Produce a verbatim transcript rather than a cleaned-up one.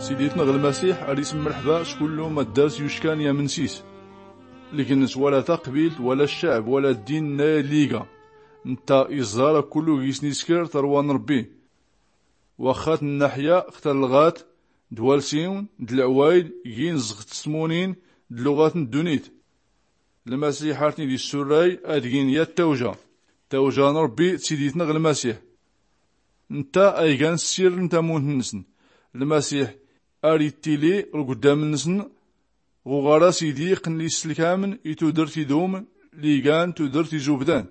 Siditnɣ lmasiḥ ar ismmrḥba s-kullu ma ddars yuckan i-amnsis. Lgns wala taqbilt wala ccɛb wala ddin nna yalliga, ntta iẓẓar a-kullu gis-niskr tarwa n-rbbi. Waxxat nnaḥya xtar lɣat d-walsiwn d-lɛwayd gin ẓɣt s-tmunin d-luɣat n-ddunit. Lmasiḥ ar-tn-id-issurray ad-gin yat tawja. Tawja n-rbbi d-siditnɣ lmasiḥ. Ntta a-igan ssirr n-tamunt-nsn. Lmasiḥ ar-ittili ɣ-lguddam-nsn ɣ-uɣaras idiq n-lislkamn i-tudrt idum, ligan tudrt izubdan.